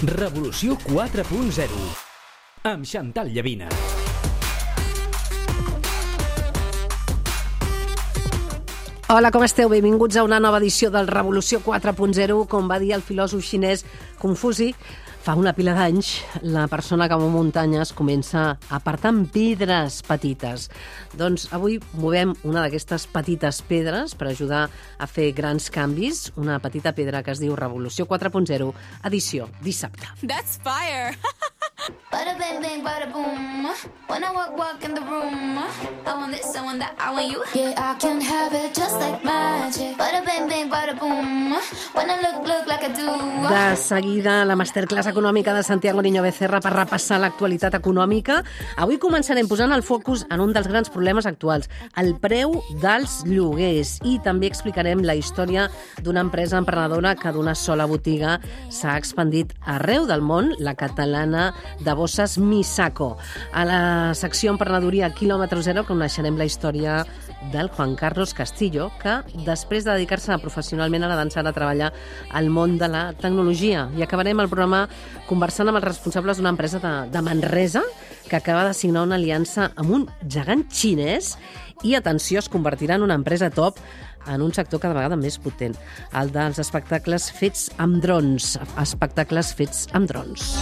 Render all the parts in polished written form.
Revolució 4.0 amb Chantal Llavina. Hola, com esteu? Benvinguts a una nova edició del Revolució 4.0. Com va dir el filòsof xinès Confuci, fa una pila d'anys, la persona que mou muntanyes comença apartant pedres petites. Doncs avui movem una d'aquestes petites pedres per ajudar a fer grans canvis, una petita pedra que es diu Revolució 4.0, edició dissabte. That's fire! Bada bang bang bada boom. When I walk in the room, I want this, I want that, I want you. Yeah, I can have it just like magic. Bada bang bang bada boom. When I look like I do. De seguida, la masterclass econòmica de Santiago Niño Becerra per repassar l'actualitat econòmica. Avui començarem posant el focus en un dels grans problemes actuals, el preu dels lloguers. I també explicarem la història d'una empresa emprenedora que d'una sola botiga s'ha expandit arreu del món, la catalana de bosses Misako. A la secció Emprenedoria quilòmetre zero coneixerem la història del Juan Carlos Castillo, que després de dedicar-se professionalment a la dansa a treballar al món de la tecnologia. I acabarem el programa conversant amb els responsables d'una empresa de Manresa que acaba de signar una aliança amb un gegant xinès i, atenció, es convertirà en una empresa top en un sector cada vegada més potent, el dels espectacles fets amb drons. Espectacles fets amb drons.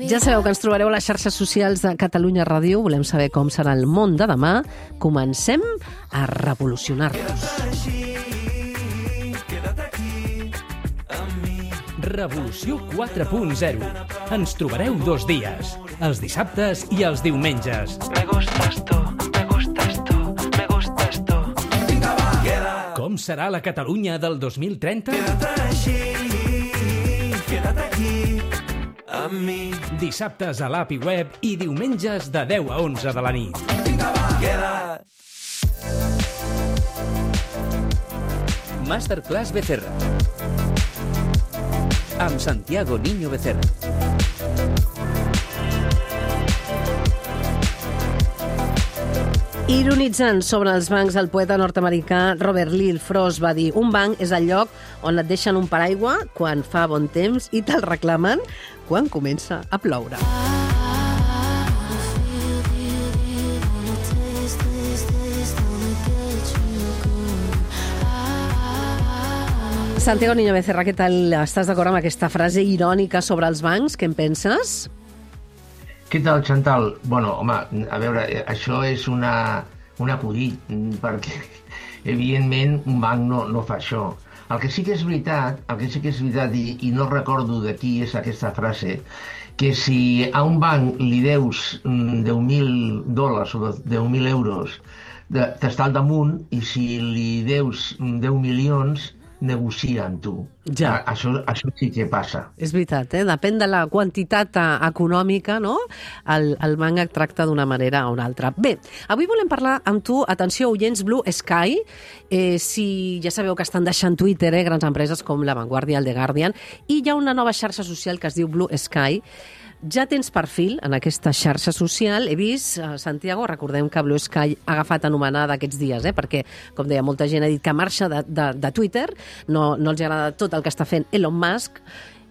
Ja sabeu que ens trobareu a les xarxes socials de Catalunya Ràdio. Volem saber com serà el món de demà. Comencem a revolucionar-nos. Revolució 4.0. Ens trobareu 2 dies, els dissabtes i els diumenges. Me gustas tú, me gustas tú, me gustas tú. Vinga, va. Com serà la Catalunya del 2030? Quédate així, quédate aquí, amb mi. Dissabtes a l'app i web i diumenges de 10 a 11 de la nit. Vinga, va. Queda. Masterclass Becerra amb Santiago Niño Becerra. Ironitzant sobre els bancs, el poeta nord-americà Robert Lee Frost va dir: un banc és el lloc on et deixen un paraigua quan fa bon temps i te'l reclamen quan comença a ploure. Santiago Niño Becerra, què tal? Estàs d'acord amb aquesta frase irònica sobre els bancs? Què en penses? Què tal, Chantal? Bueno, home, a veure, això és un acudit, perquè, evidentment, un banc no fa això. El que sí que és veritat, i no recordo de qui és aquesta frase, que si a un banc li deus $10.000 o €10.000, t'està al damunt, i si li deus 10 milions, negocia amb tu. Ja. Això sí que passa. És veritat, depèn de la quantitat econòmica, no? El banc et tracta d'una manera o una altra. Bé, avui volem parlar amb tu, atenció, oients, Blue Sky. Si ja sabeu que estan deixant Twitter, grans empreses com La Vanguardia, el The Guardian, i hi ha una nova xarxa social que es diu Blue Sky. Ja tens perfil en aquesta xarxa social. He vist, Santiago, recordem que Blue Sky ha agafat anomenada aquests dies, perquè, com deia, molta gent ha dit que marxa de Twitter, no els agrada tot el que està fent Elon Musk,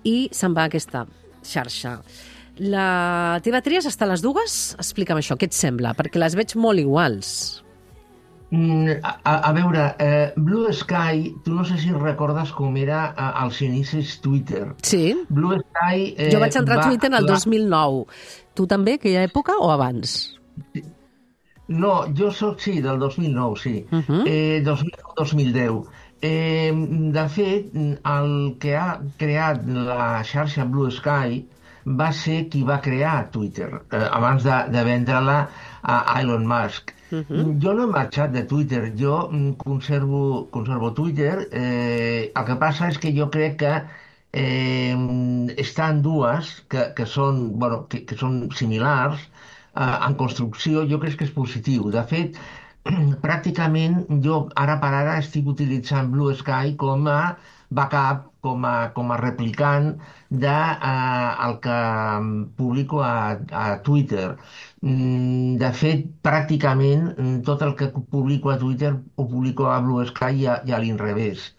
i se'n va a aquesta xarxa. La TV3 està a les dues? Explica'm això, què et sembla? Perquè les veig molt iguals. A veure, Blue Sky, tu no sé si recordes com era als inicis Twitter. Sí. Blue Sky... Jo vaig entrar a Twitter el 2009. Tu també, aquella època, o abans? No, jo soc, sí, del 2009, sí. 2009-2010. De fet, el que ha creat la xarxa Blue Sky va ser qui va crear Twitter, abans de vendre-la a Elon Musk. Jo no he marxat de Twitter, jo conservo Twitter. El que passa és que jo crec que estan dues que són similars en construcció. Jo crec que és positiu. De fet, pràcticament jo ara per ara estic utilitzant Blue Sky com a backup, com a replicant de el que publico a Twitter. De fet, pràcticament tot el que publico a Twitter ho publico a Blue Sky i a l'inrevés.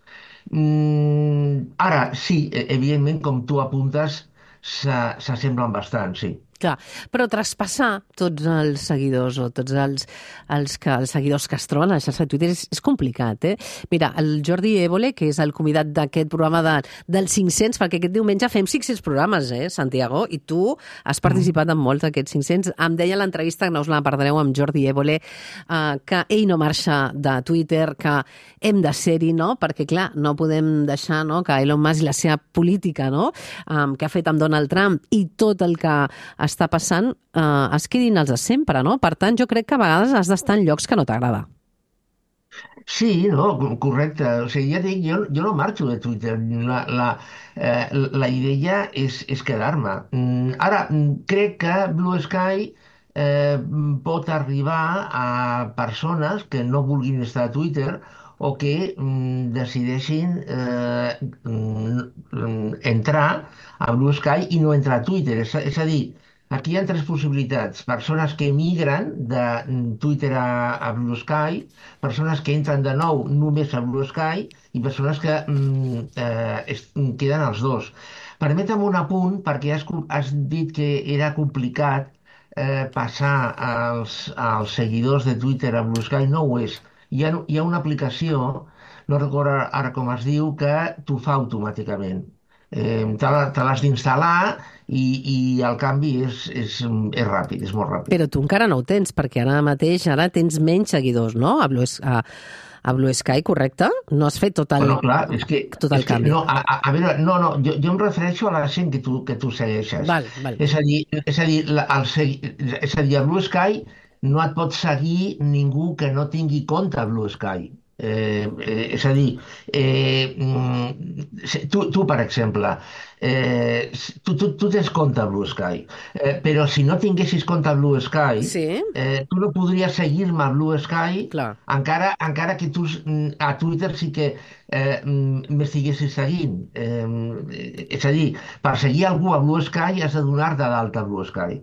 Ara, sí, evidentment, com tu apuntes, s'assemblen bastant, sí. Clar, però traspassar tots els seguidors o tots els seguidors que es troben a la xarxa de Twitter és complicat, eh? Mira, el Jordi Évole, que és el convidat d'aquest programa dels 500, perquè aquest diumenge fem 500 programes, Santiago, i tu has participat en molts d'aquests 500. Em deia a l'entrevista, que no us la perdreu, amb Jordi Évole, que ell no marxa de Twitter, que hem de ser-hi, no? Perquè, clar, no podem deixar, no?, que Elon Musk i la seva política, no?, que ha fet amb Donald Trump i tot el que està passant, es quedin els de sempre, no? Per tant, jo crec que a vegades has d'estar en llocs que no t'agrada. Sí, no, correcte. O sigui, ja dic, jo no marxo de Twitter. La idea és quedar-me. Ara, crec que Blue Sky pot arribar a persones que no vulguin estar a Twitter o que decideixin entrar a Blue Sky i no entrar a Twitter. És a dir, aquí hi ha tres possibilitats. Persones que emigren de Twitter a Blue Sky, persones que entren de nou només a Blue Sky i persones que queden els dos. Permetem un apunt, perquè has dit que era complicat passar als seguidors de Twitter a Blue Sky. No ho és. Hi ha una aplicació, no recordo ara com es diu, que t'ho fa automàticament. Te l'has d'instal·lar i el canvi és ràpid, és molt ràpid. Però tu encara no ho tens, perquè ara tens menys seguidors, no? A Blue Sky, correcte? No has fet tot el canvi. No, a veure, jo em refereixo a la gent que tu segueixes. Val. És a dir, a Blue Sky no et pot seguir ningú que no tingui compte a Blue Sky. És a dir, tu per exemple, tu tens compte a Blue Sky, però si no tinguessis compte a Blue Sky, sí, tu no podries seguir-me a Blue Sky, encara que tu a Twitter sí que m'estiguessis seguint. És a dir, per seguir algú a Blue Sky has de donar-te d'alta a Blue Sky.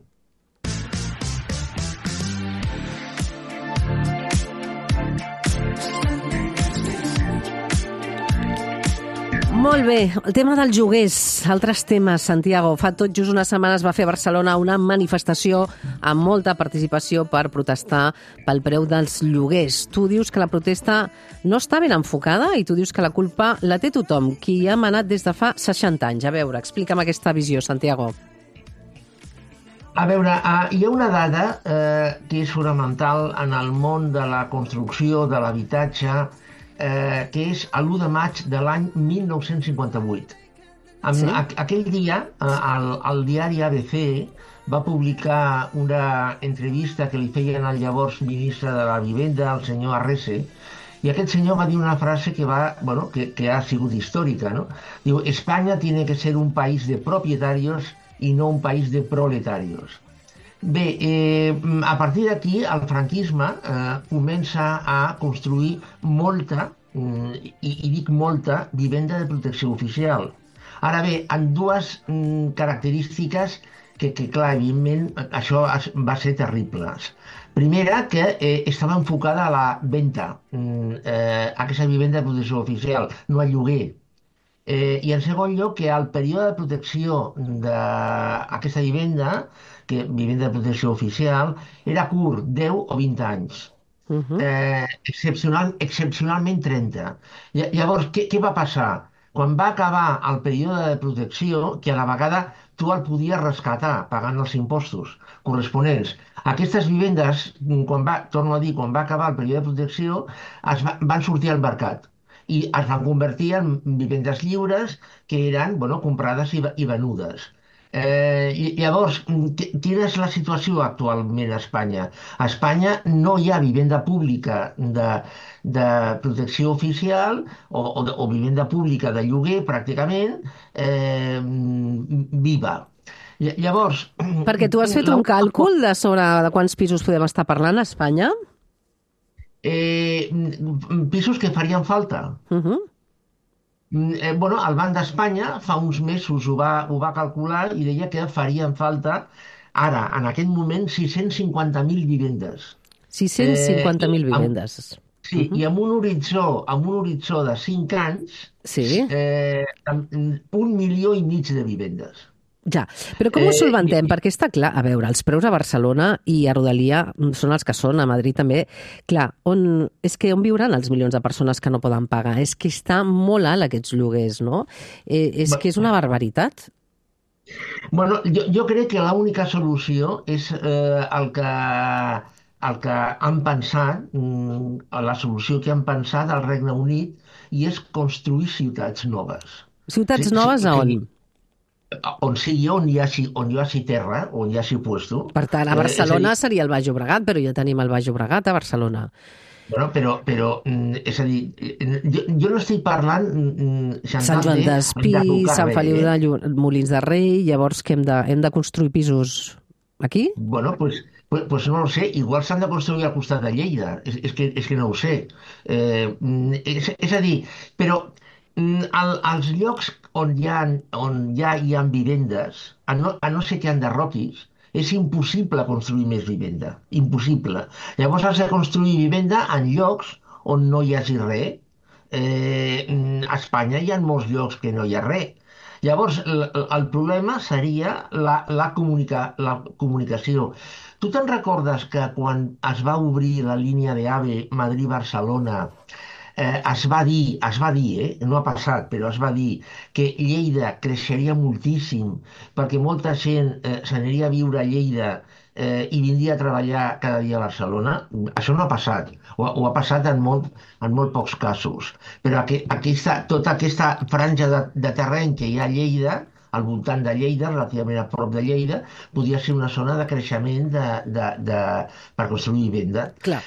Molt bé, el tema dels lloguers, altres temes, Santiago. Fa tot just unes setmanes va fer a Barcelona una manifestació amb molta participació per protestar pel preu dels lloguers. Tu dius que la protesta no està ben enfocada i tu dius que la culpa la té tothom, qui ha manat des de fa 60 anys. A veure, explica'm aquesta visió, Santiago. A veure, hi ha una dada que és fonamental en el món de la construcció, de l'habitatge, que és l'1 de maig de l'any 1958. Sí? Aquell dia, el diari ABC va publicar una entrevista que li feien al llavors ministre de la Vivenda, el senyor Arrese, i aquest senyor va dir una frase que ha sigut històrica, no? Diu, España tiene que ser un país de propietarios y no un país de proletarios. Bé, a partir d'aquí el franquisme comença a construir molta, i dic molta, vivenda de protecció oficial. Ara bé, amb dues característiques que clar, evidentment, això va ser terribles. Primera, que estava enfocada a la venda, aquesta vivenda de protecció oficial, no al lloguer. I en segon lloc, que el període de protecció d'aquesta vivenda de protecció oficial, era curt, 10 o 20 anys. Excepcionalment 30. Llavors, què va passar? Quan va acabar el període de protecció, que a la vegada tu el podies rescatar pagant els impostos corresponents, aquestes vivendes, torno a dir, quan va acabar el període de protecció, van sortir al mercat i es van convertir en vivendes lliures que eren comprades i venudes. Llavors, quina és la situació actualment a Espanya? A Espanya no hi ha vivenda pública de protecció oficial o vivenda pública de lloguer, pràcticament, viva. Llavors... Perquè tu has fet un càlcul de quants pisos podem estar parlant a Espanya? Pisos que farien falta. Bueno, el Banc d'Espanya fa uns mesos ho va calcular i deia que farien falta ara, en aquest moment, 650.000 vivendes. 650.000 vivendes. Sí, i amb un horitzó de 5 anys, Sí. 1,5 milió de vivendes. Ja, però com ho solventem? Perquè està clar, a veure, els preus a Barcelona i a Rodalia són els que són, a Madrid també. Clar, on viuran els milions de persones que no poden pagar? És que està molt alt aquests lloguers, no? És que és una barbaritat. Bueno, jo crec que l'única solució és el que han pensat, la solució que han pensat al Regne Unit, i és construir ciutats noves. Ciutats noves a on? On hi hagi terra, on hi hagi puesto. Per tant, a Barcelona seria el Baix Llobregat, però ja tenim el Baix Llobregat a Barcelona. Bueno, però és a dir, jo no estic parlant... Sant Joan d'Espí, Sant Feliu de Molins de Rei, llavors que hem de construir pisos aquí? Bueno, pues no ho sé, igual s'han de construir al costat de Lleida, és que no ho sé. És a dir, però als llocs on ja hi ha vivendes, a no ser que enderroquis, és impossible construir més vivenda. Impossible. Llavors has de construir vivenda en llocs on no hi hagi res. A Espanya hi ha molts llocs que no hi ha res. Llavors, el problema seria la comunicació. Tu te'n recordes que quan es va obrir la línia d'AVE Madrid-Barcelona, es va dir, no ha passat, però es va dir que Lleida creixeria moltíssim perquè molta gent s'aniria a viure a Lleida i vindria a treballar cada dia a Barcelona? Això no ha passat, o ha passat en molt pocs casos. Però tota aquesta franja de terreny que hi ha a Lleida, al voltant de Lleida, relativament a prop de Lleida, podria ser una zona de creixement per construir vivenda. Clar.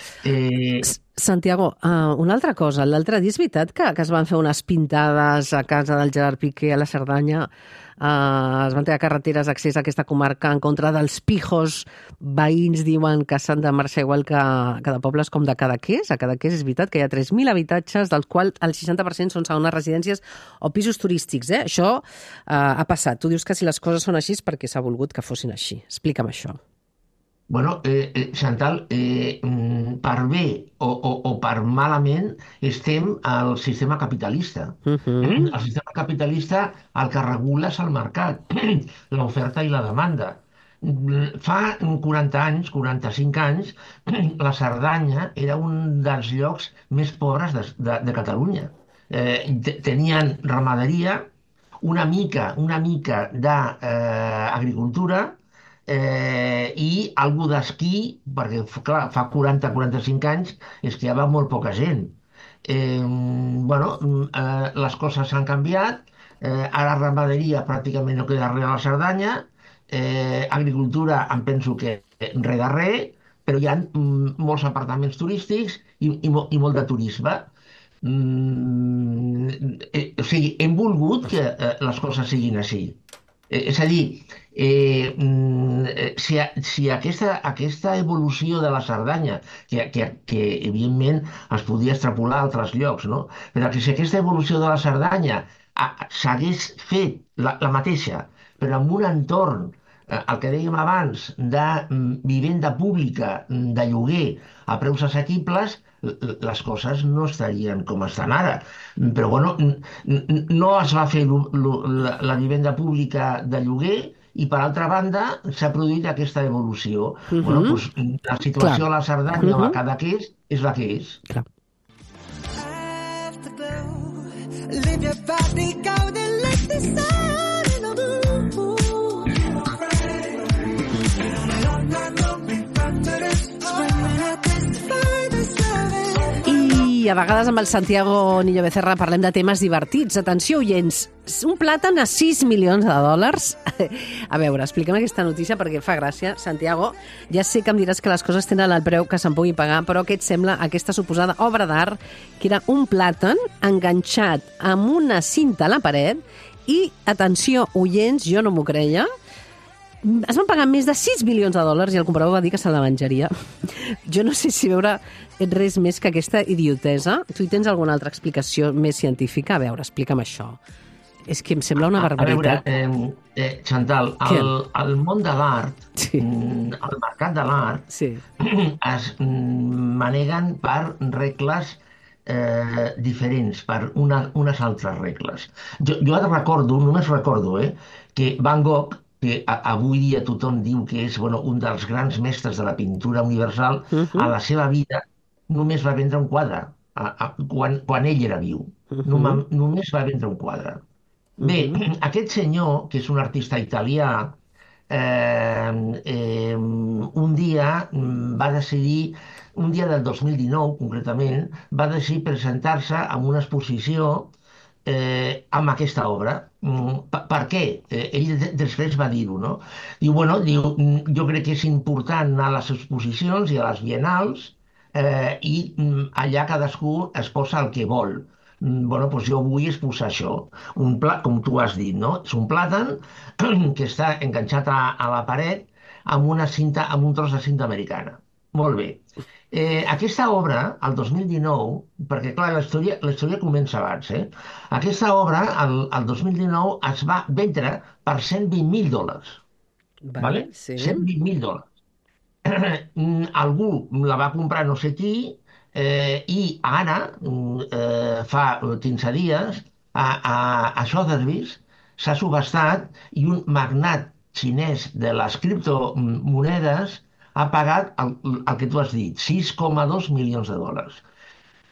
Santiago, una altra cosa. L'altre dia és veritat que es van fer unes pintades a casa del Gerard Piqué a la Cerdanya, es van treure carreteres d'accés a aquesta comarca en contra dels pijos veïns, diuen que s'han de marxar igual que de pobles com de Cadaqués. A Cadaqués és veritat que hi ha 3.000 habitatges, dels quals el 60% són segones residències o pisos turístics. Això ha passat. Tu dius que si les coses són així és perquè s'ha volgut que fossin així. Explica'm això. Bueno, Chantal, per bé o per malament estem al sistema capitalista. El sistema capitalista el que regula és el mercat, l'oferta i la demanda. Fa 40 anys, 45 anys, la Cerdanya era un dels llocs més pobres de Catalunya. Tenien ramaderia, una mica d'agricultura, i algú d'esquí, perquè clar, fa 40-45 anys esquiava molt poca gent. Les coses s'han canviat, ara ramaderia pràcticament no queda res a la Cerdanya, agricultura em penso que res de res, però hi ha molts apartaments turístics i molt de turisme. O sigui, hem volgut que les coses siguin així. És a dir, si aquesta evolució de la Cerdanya, que evidentment es podia extrapolar a altres llocs, no? Però si aquesta evolució de la Cerdanya s'hagués fet la mateixa, però en un entorn, el que dèiem abans, de vivenda pública, de lloguer a preus assequibles, les coses no estarien com estan ara. Però bueno, no es va fer la vivenda pública de lloguer i per altra banda s'ha produït aquesta evolució. Bueno, doncs, la situació a la Cerdanya o a Cadaqués és la que és. Clar. I a vegades amb el Santiago Niño Becerra parlem de temes divertits. Atenció, oients, un plàtan a $6 milions. A veure, explica'm aquesta notícia perquè fa gràcia. Santiago, ja sé que em diràs que les coses tenen el preu que se'n pugui pagar, però què et sembla aquesta suposada obra d'art que era un plàtan enganxat amb una cinta a la paret i, atenció, oients, jo no m'ho creia, Es van pagar més de 6 milions de dòlars i el comprador va dir que se la menjaria. Jo no sé si veure res més que aquesta idiotesa. Tu hi tens alguna altra explicació més científica? A veure, explica'm això. És que em sembla una barbaritat. A veure, Chantal, el món de l'art, Sí. el mercat de l'art, Sí. es maneguen per regles diferents, per unes altres regles. Jo ara recordo, només recordo, que Van Gogh, que avui dia tothom diu que és un dels grans mestres de la pintura universal, a la seva vida només va vendre un quadre, quan ell era viu. Només va vendre un quadre. Bé, aquest senyor, que és un artista italià, un dia va decidir, un dia del 2019 concretament, va decidir presentar-se en una exposició amb aquesta obra. Per què? Ell després va dir-ho, no? Diu, jo crec que és important anar a les exposicions i a les biennals i allà cadascú es posa el que vol. Doncs jo vull exposar això. Com tu has dit, no? És un plàtan que està enganxat a la paret amb una cinta, amb un tros de cinta americana. Molt bé. Aquesta obra, el 2019, perquè clar, la història comença abans, aquesta obra, el 2019, es va vendre per $120.000. Vale, sí. $120.000. Algú la va comprar no sé qui i ara, fa 15 dies, a Sotheby's s'ha subhastat i un magnat xinès de les criptomonedes ha pagat el que tu has dit, $6,2 milions.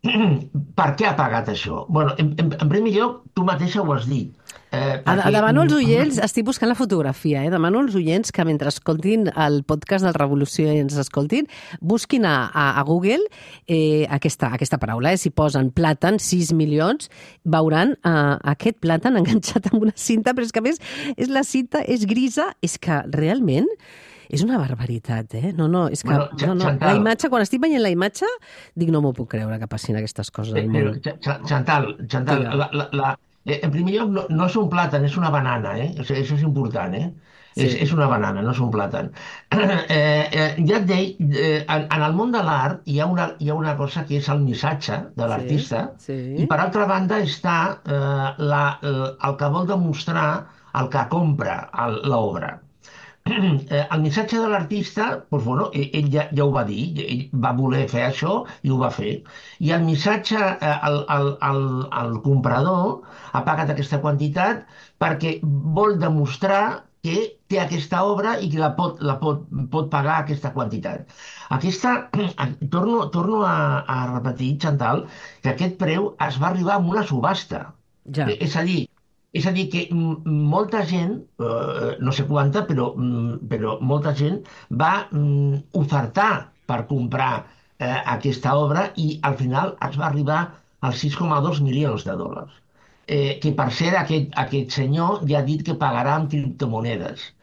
Per què ha pagat això? En primer lloc, tu mateixa ho has dit. Demano als oients, estic buscant la fotografia, demano als oients que mentre escoltin el podcast del Revolució i ens escoltin, busquin a Google aquesta paraula. Si posen plàtan, 6 milions, veuran aquest plàtan enganxat amb una cinta, però és que a més la cinta és grisa, és que realment és una barbaritat, No, és que la imatge, quan estic veient la imatge, dic, no m'ho puc creure que passin aquestes coses al món. Chantal, en primer lloc, no és un plàtan, és una banana, Això és important, Sí. És una banana, no és un plàtan. Ja et deia, en el món de l'art hi ha una cosa que és el missatge de l'artista, i per altra banda està el que vol demostrar el que compra l'obra. El missatge de l'artista, ell ja ho va dir, ell va voler fer això i ho va fer. I el missatge, el comprador ha pagat aquesta quantitat perquè vol demostrar que té aquesta obra i que la pot pagar aquesta quantitat. Torno a repetir, Chantal, que aquest preu es va arribar amb una subhasta. Ja. És a dir, que molta gent, no sé quanta, però molta gent va ofertar per comprar aquesta obra i al final es va arribar als $6,2 milions. Que per cert, aquest senyor ja ha dit que pagarà amb criptomonedes.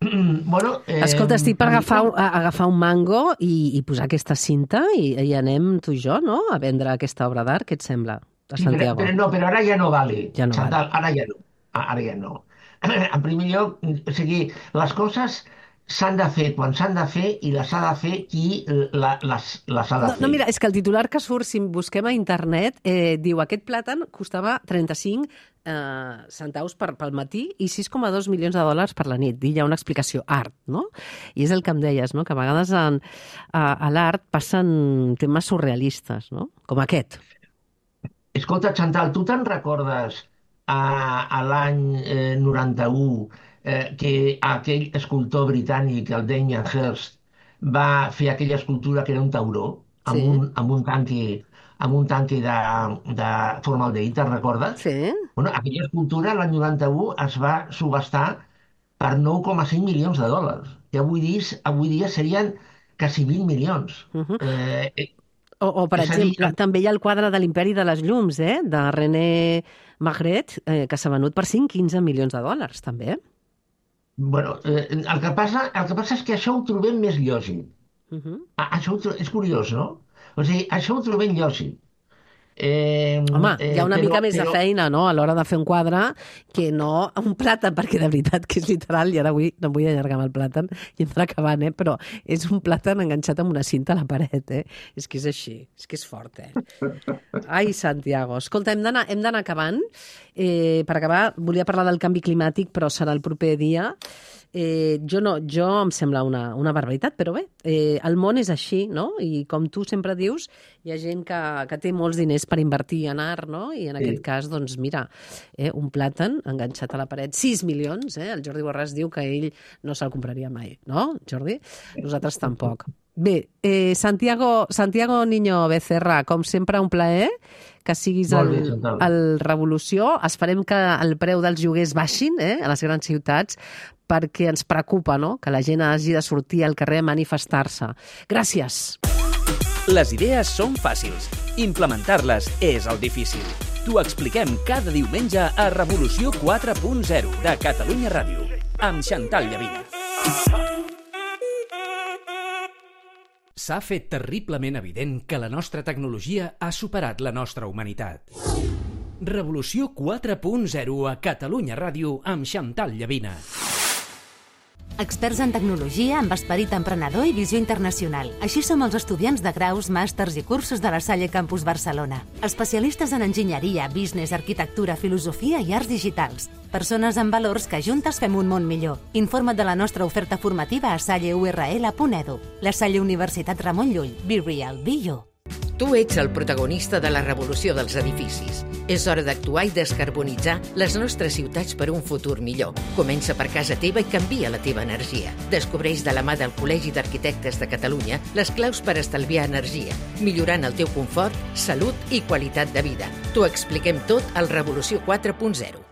Escolta, estic per agafar un mango i posar aquesta cinta i anem tu i jo, no?, a vendre aquesta obra d'art. Què et sembla? A Santiago. Però ara ja no vale. Ja no Chantal, vale. Ara ja no. En primer lloc, les coses s'han de fer quan s'han de fer i les ha de fer qui les ha de fer. No, mira, és que el titular que surt, si busquem a internet, diu aquest plàtan costava 35 centaus pel matí i $6,2 milions per la nit. I hi ha una explicació, art, no? I és el que em deies, no?, que a vegades a l'art passen temes surrealistes, no?, com aquest. Escolta, Chantal, tu te'n recordes a l'any 91 que aquell escultor britànic, el Damien Hirst, va fer aquella escultura que era un tauró amb un tanque de formaldehid, te'n recordes? Sí. Aquella escultura l'any 91 es va subhastar per $9,5 milions, que avui dia serien quasi 20 milions. O per exemple, també hi ha el quadre de l'Imperi de les Llums, de René Magritte, que s'ha venut per $15 milions, també. El que passa és que això ho trobem més lògic. Això és curiós, no? O sigui, això ho trobem lògic. Home, hi ha una mica més de feina, no?, a l'hora de fer un quadre que no un plàtan, perquè de veritat que és literal, i ara avui no em vull allargar amb el plàtan i hem d'anar acabant, però és un plàtan enganxat amb una cinta a la paret, És que és així, és que és fort, Ai, Santiago. Escolta, hem d'anar acabant. Per acabar, volia parlar del canvi climàtic, però serà el proper dia. Jo em sembla una barbaritat, però bé, el món és així, no? I com tu sempre dius, hi ha gent que té molts diners per invertir en art, no? I en aquest cas, doncs mira, un plàtan enganxat a la paret, 6 milions, El Jordi Borràs diu que ell no se'l compraria mai, no, Jordi? Nosaltres tampoc. Bé, Santiago Niño Becerra, com sempre, un plaer que siguis al Revolució. Esperem que el preu dels lloguers baixin a les grans ciutats, perquè ens preocupa, no?, que la gent hagi de sortir al carrer a manifestar-se. Gràcies. Les idees són fàcils. Implementar-les és el difícil. T'ho expliquem cada diumenge a Revolució 4.0 de Catalunya Ràdio, amb Chantal Llavina. S'ha fet terriblement evident que la nostra tecnologia ha superat la nostra humanitat. Revolució 4.0 a Catalunya Ràdio amb Chantal Llavina. Experts en tecnologia amb esperit emprenedor i visió internacional. Així som els estudiants de graus, màsters i cursos de la Salle Campus Barcelona. Especialistes en enginyeria, business, arquitectura, filosofia i arts digitals. Persones amb valors que juntes fem un món millor. Informa't de la nostra oferta formativa a salleurl.edu. La Salle Universitat Ramon Llull. Be real, be you. Tu ets el protagonista de la revolució dels edificis. És hora d'actuar i descarbonitzar les nostres ciutats per un futur millor. Comença per casa teva i canvia la teva energia. Descobreix de la mà del Col·legi d'Arquitectes de Catalunya les claus per estalviar energia, millorant el teu confort, salut i qualitat de vida. T'ho expliquem tot al Revolució 4.0.